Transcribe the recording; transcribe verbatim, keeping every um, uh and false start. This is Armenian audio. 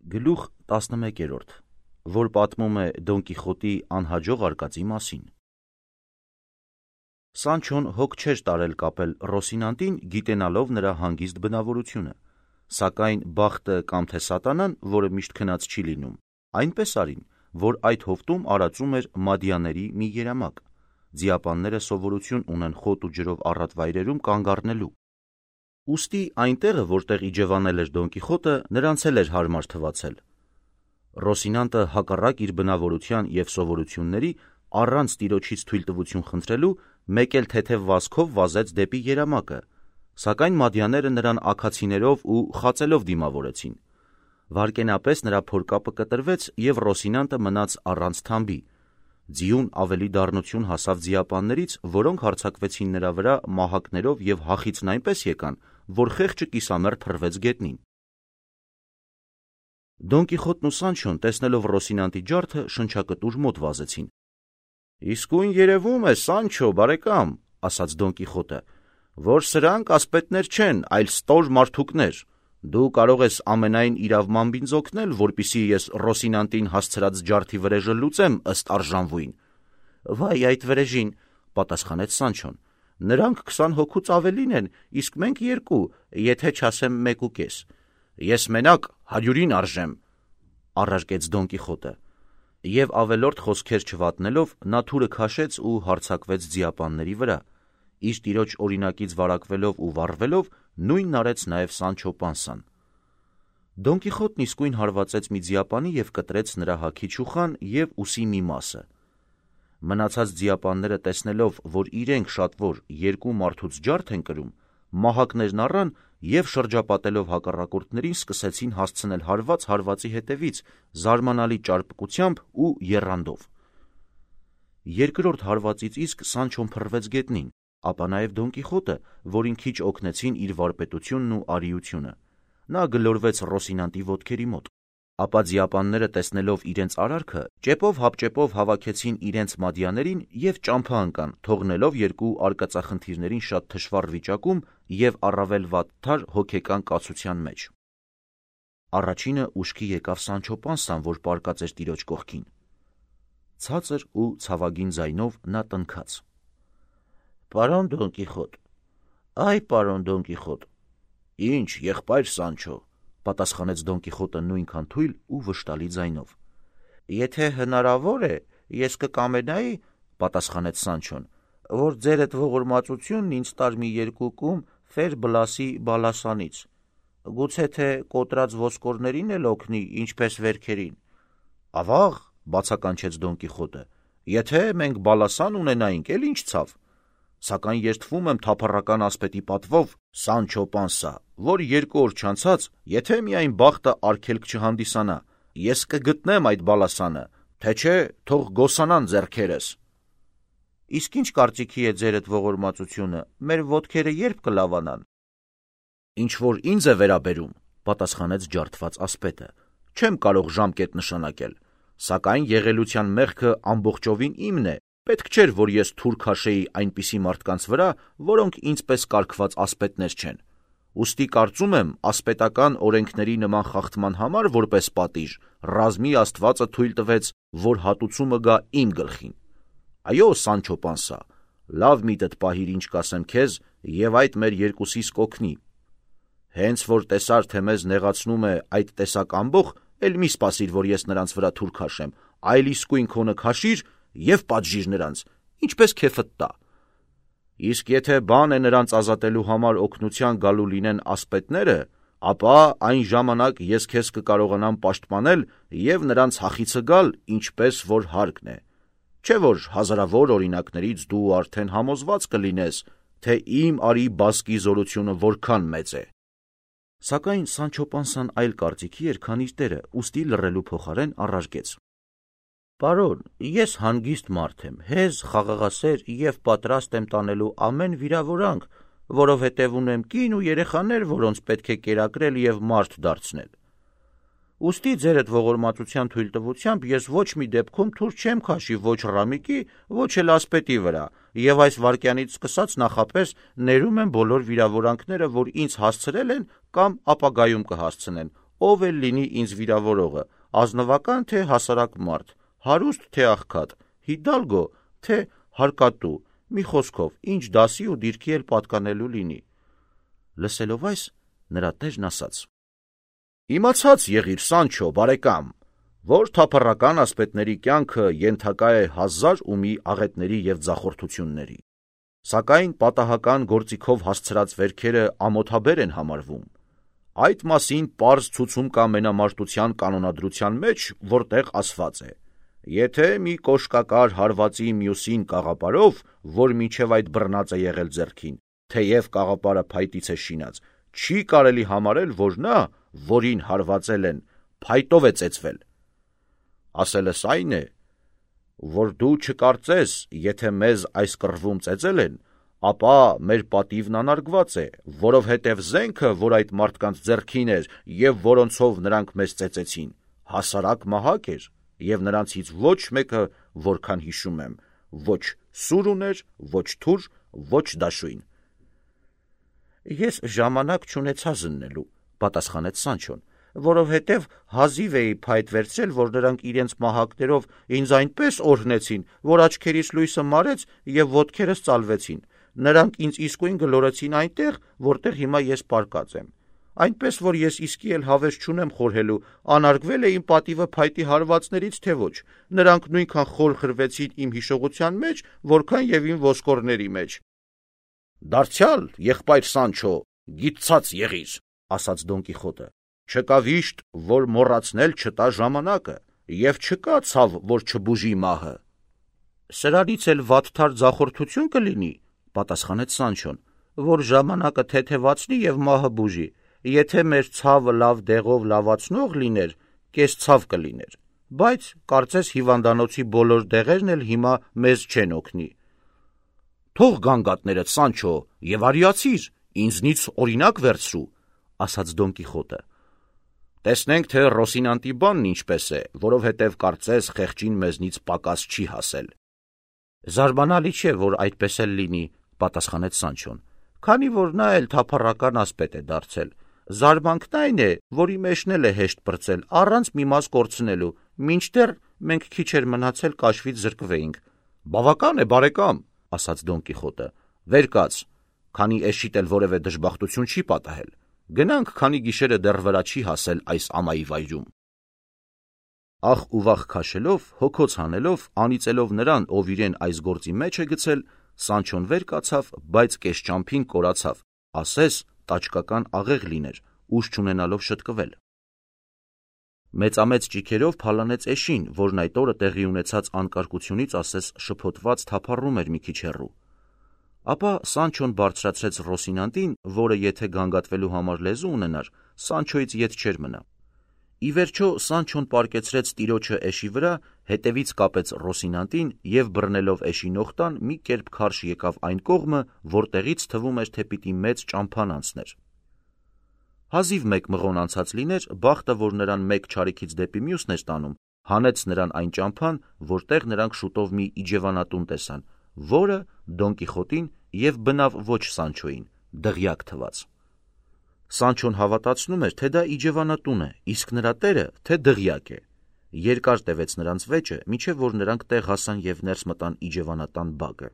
Գլուխ տասնմեկերորդ, որ պատմում է Դոն Կիխոտի անհաջող արկածի մասին։ Սանչոն հոգ չէր տարել կապել Ռոսինանտին, գիտենալով նրա հանգիստ բնավորությունը, սակայն բախտը կամ թե սատանան, որը միշտ քնած չի լինում, այնպես արին, որ այդ հովտում արածում էր մադյաների մի երամակ։ Ձիապանները սովորություն ունեն խոտ ու ջրով առատ վայրերում կանգ առնելու։ Ուստի այնտեղը, որտեղ իջևանել էր Դոն Կիխոտը, նրանց էլ էր հարմար թվացել։ Ռոսինանտը հակառակ իր բնավորության և սովորությունների, առանց տիրոջից թույլտվություն խնդրելու, մեկ էլ թեթև վազքով վազեց դեպի երամակը, սակայն մադյաները նրան աքացիներով ու խածելով դիմավորեցին։ Վայրկենապես նրա փորկապը կտրվեց, և Ռոսինանտը մնաց առանց թամբի։ Ձիուն ավելի դառնություն հասավ ձիապաններից, որոնք հարձակվեցին նրա վրա մահակներով և հախիծն այնպես եկան, որ խեղճը կիսամերթ փռվեց գետնին։ Դոն Կիխոտն ու Սանչոն, տեսնելով Ռոսինանտի ջարդը, շնչակտուր մոտ վազեցին։ «Իսկույն երևում է, Սանչո բարեկամ, — ասաց Դոն Կիխոտը, — որ սրանք ասպետներ չեն, այլ ստոր մարդուկներ։ Դու կարող ես ամենայն իրավմամբ ինձ օգնել, որպեսզի ես Ռոսինանտին հասցրած ջարդի վրեժը լուծեմ ըստ արժանվույն»։ «Վայ այդ վրեժին, — պատասխանեց Սանչոն, — նրանք քսան հոգուց ավելին են, իսկ մենք երկու, եթե չասեմ մեկուկես։ Ես մենակ հարյուրին արժեմ, — առարկեց Դոն Կիխոտը, և ավելորդ խոսքեր չվատնելով, նա թուրը քաշեց ու հարձակվեց ձիապանների վրա։ Իր տիրոջ օրինակից վարակվելով ու վառվելով, նույնն արեց նաև Սանչո Պանսան։ Դոն Կիխոտն իսկույն հարվածեց մի ձիապանի և կտրեց նրա հագի չուխան և ուսի մի մասը։ Մնացած ձիապանները տեսնելով, որ իրենք շատվոր երկու մարդուց ջարդ են կրում, մահակներն առան և շրջապատելով հակառակորդներին սկսեցին հասցնել հարված հարվածի հետևից, զարմանալի ճարպկությամբ ու եռանդով։ Երկրորդ հարվածից իսկ Սանչոն փռվեց գետնին, ապա նաև Դոն Կիխոտը, որին քիչ օգնեցին իր վարպետությունն ու արիությունը։ Նա գլորվեց Ռոսինանտի ոտքերի մոտ։ Ապա ձիապանները տեսնելով իրենց արարքը, ճեպով հապճեպով հավաքեցին իրենց մադյաներին և ճամփա ընկան, թողնելով երկու արկածախնդիրներին շատ թշվառ վիճակում և առավել վատթար հոգեկան կացության մեջ։ Առաջինը ուշքի եկավ Սանչո Պանսան, որ պառկած էր տիրոջ կողքին։ Ցածր ու ցավագին ձայնով նա տնքաց. «Պարոն Դոն Կիխոտ, այ պարոն Դոն Կիխոտ»։ «Ինչ, եղբայր Սանչո», — պատասխանեց Դոն Կիխոտը նույնքան թույլ ու վշտալի ձայնով։ «Եթե հնարավոր է, ես կկամենայի, — պատասխանեց Սանչոն, — որ ձերդ ողորմածությունն ինձ տար մի երկու կում Ֆեր Բլասի բալասանից, գուցե թե կոտրած ոսկորներին էլ օգնի, ինչպես վերքերին»։ «Ավա՜ղ, — բացականչեց Դոն Կիխոտը, — եթե մենք բալասան ունենայինք, էլ ինչ ցավ։ Սակայն ես թվում եմ թափառական ասպետի պատվով, Սանչո Պանսա, որ երկու օր չանցած, եթե միայն բախտը արգելք չհանդիսանա, ես կգտնեմ այդ բալասանը, թե չէ թող գոսանան ձեռքերս»։ «Իսկ ինչ կարծիքի է ձերդ ողորմածությունը, մեր ոտքերը ե՞րբ կլավանան»։ «Ինչ որ ինձ է վերաբերում, — պատասխանեց ջարդված ասպետը, — չեմ կարող ժամկետ նշանակել, սակայն եղելության մեղքը ամբողջովին իմն է, պետք չէր, որ ես թուր քաշեի այնպիսի մարդկանց վրա, որոնք ինձ պես կարգված ասպետներ չեն։ Ուստի կարծում եմ, ասպետական օրենքների նման խախտման համար որպես պատիժ, ռազմի աստվածը թույլ տվեց, որ հատուցումը գա իմ գլխին։ Այո, Սանչո Պանսա, լավ միտդ պահիր, ինչ կասեմ քեզ, և այդ մեր երկուսիս կօգնի։ Հենց որ տեսար, թե մեզ նեղացնում է այդ տեսակ ամբոխ, էլ մի սպասիր, որ ես նրանց վրա թուր քաշեմ, այլ իսկույն քոնը քաշիր և պատժիր նրանց, ինչպես քեֆդ տա։ Իսկ եթե բան է նրանց ազատելու համար օգնության գալու լինեն ասպետները, ապա այն ժամանակ ես քեզ կկարողանամ պաշտպանել և նրանց հախիցը գալ, ինչպես որ հարկն է։ Չէ՞ որ հազարավոր օրինակներից դու արդեն համոզված կլինես, թե իմ արի բասկի զորությունը որքան մեծ է։ Սակայն Սանչո Պանսան այլ կարծիքի էր, քան իր տերը, ուստի լռելու փոխարեն առարկեց. «Պարոն, ես հանգիստ մարդ եմ, հեզ, խաղաղասեր և պատրաստ եմ տանելու ամեն վիրավորանք, որովհետև ունեմ կին ու երեխաներ, որոնց պետք է կերակրել և մարդ դարձնել։ Ուստի ձերդ ողորմածության թույլտվությամբ ես ոչ մի դեպքում թուր չեմ քաշի ոչ Ռամիկի, ոչ էլ ասպետի վրա, և այս վայրկյանից սկսած նախապես ներում եմ բոլոր վիրավորանքները, որ ինձ հասցրել են կամ ապագայում կհասցնեն, ով էլ լինի ինձ վիրավորողը, ազնվական թե հասարակ մարդ, հարուստ թե աղքատ, հիդալգո թե հարկատու, մի խոսքով, ինչ դասի ու դիրքի էլ պատկանելու լինի։ Լսելով այս, նրա տերն ասաց. Իմացած եղիր, Սանչո, բարեկամ, որ թափառական ասպետների կյանքը ենթակա է հազար ու մի աղետների և ձախորդությունների, սակայն պատահական գործիքով հասցրած վերքերը ամոթաբեր են համարվում։ Այդ մասին պարզ ցուցում կա մենամարտության կանոնադրության մեջ, որտեղ ասված է. եթե մի կոշկակար հարվածի մյուսին կաղապարով, որ մինչև այդ բռնած է եղել ձեռքին, թեև կաղապարը փայտից է շինած, չի կարելի համարել, որ նա, որին հարվածել են, փայտով է ծեծվել։ Ասելս այն է, որ դու չկարծես, եթե մեզ այս կռվում ծեծել են, ապա մեր պատիվն անարգված է, որովհետև զենքը, որ այդ մարդկանց ձեռքին էր և որոնցով նրանք մեզ ծեծեցին, հասարակ մահակ էր, և նրանցից ոչ մեկը, որքան հիշում եմ, ոչ սուր ուներ, ոչ թուր, ոչ դաշույն։ Ես ժամանակ չունեցա զննելու, պատասխանեց Սանչոն, որովհետև հազիվ էի փայտ վերցրել, որ նրանք իրենց մահակներով ինձ այնպես օրհնեցին, որ աչքերիս լույսը մարեց և ոտքերս ծալվեցին, նրանք ինձ իսկույն գլորեցին այնտեղ, որտեղ հիմա ես պառկած եմ, այնպես, որ ես իսկի էլ հավես չունեմ խորհելու, անարգվել է իմ պատիվը փայտի հարվածներից, թե ոչ, նրանք նույնքան խոր խրվեցին իմ հիշողության մեջ, որքան և իմ ոսկորների մեջ։ Դարձյալ, եղբայր Սանչո, գիտցած եղիր, ասաց Դոն Կիխոտը, չկա վիշտ, որ մոռացնել չտա ժամանակը, և չկա ցավ, որ չբուժի մահը։ Սրանից էլ վատթար ձախորդություն կլինի, պատասխանեց Սանչոն, որ ժամանակը թեթևացնի և մահը բուժի, եթե մեր ցավը լավ դեղով լավացնող լիներ, կես ցավ կլիներ, բայց կարծես հիվանդանոցի բոլոր դեղերն էլ հիմա մեզ չեն օգնի։ Թող գանգատներդ, Սանչո, և արիացիր, ինձնից օրինակ վերցրու, ասաց Դոն Կիխոտը։ Տեսնենք, թե Ռոսինանտի բանն ինչպես է, որովհետև կարծես խեղճին մեզնից պակաս չի հասել։ Զարմանալի չէ, որ այդպես էլ լինի, պատասխանեց Սանչոն, քանի որ նա էլ թափառական ասպետ է դարձել։ Զարմանքն այն է, որի մեջն էլ է հեշտ պրծել, առանց մի մաս կորցնելու, մինչդեռ մենք քիչ էր մնացել կաշվից զրկվեինք։ Բավական է, բարեկամ, ասաց Դոն Կիխոտը, վեր կաց, քանի էշիդ էլ որևէ դժբախտություն չի պատահել։ Գնանք, քանի գիշերը դեռ վրա չի հասել այս ամայի վայրում։ Ախ ու վախ քաշելով, հոգոց հանելով, անիծելով նրան, ով իրեն այս գործի մեջ է գցել, Սանչոն վեր կացավ, բայց կեսճամփին կորացավ, ասես տաճկական աղեղ լիներ, ուժ չունենալով շտկվել։ Մեծամեծ ճիգերով փալանեց էշին, որն այդ օրը տեղի ունեցած անկարգությունից ասես շփոթված թափառում էր մի քիչ հեռու։ Ապա Սանչոն բարձրացրեց Ռոսինանտին, որը եթե գանգատվելու համար լեզու ունենար, Սանչոյից ետ չէր մնա։ Ի վերջո Սանչոն պառկեցրեց տիրոջը էշի վրա, հետևից կապեց Ռոսինանտին և բռնելով էշի նողտան մի կերպ քարշ եկավ այն կողմը, որտեղից թվում էր, թե պիտի մեծ ճամփան անցներ։ Հազիվ մեկ մղոն անցած լիներ, բախտը, որ նրան մեկ չարիքից դեպի մյուսն էր տանում, հանեց նրան այն ճամփան, որտեղ նրանք շուտով մի իջևանատուն տեսան, որը Դոն Կիխոտին և բնավ ոչ Սանչոյին դղյակ թվաց։ Սանչոն հավատացնում էր, թե դա իջևանատուն է, իսկ նրա տերը, թե դղյակ է։ Երկար տևեց նրանց վեճը, մինչև որ նրանք տեղ հասան և ներս մտան իջևանատան բակը։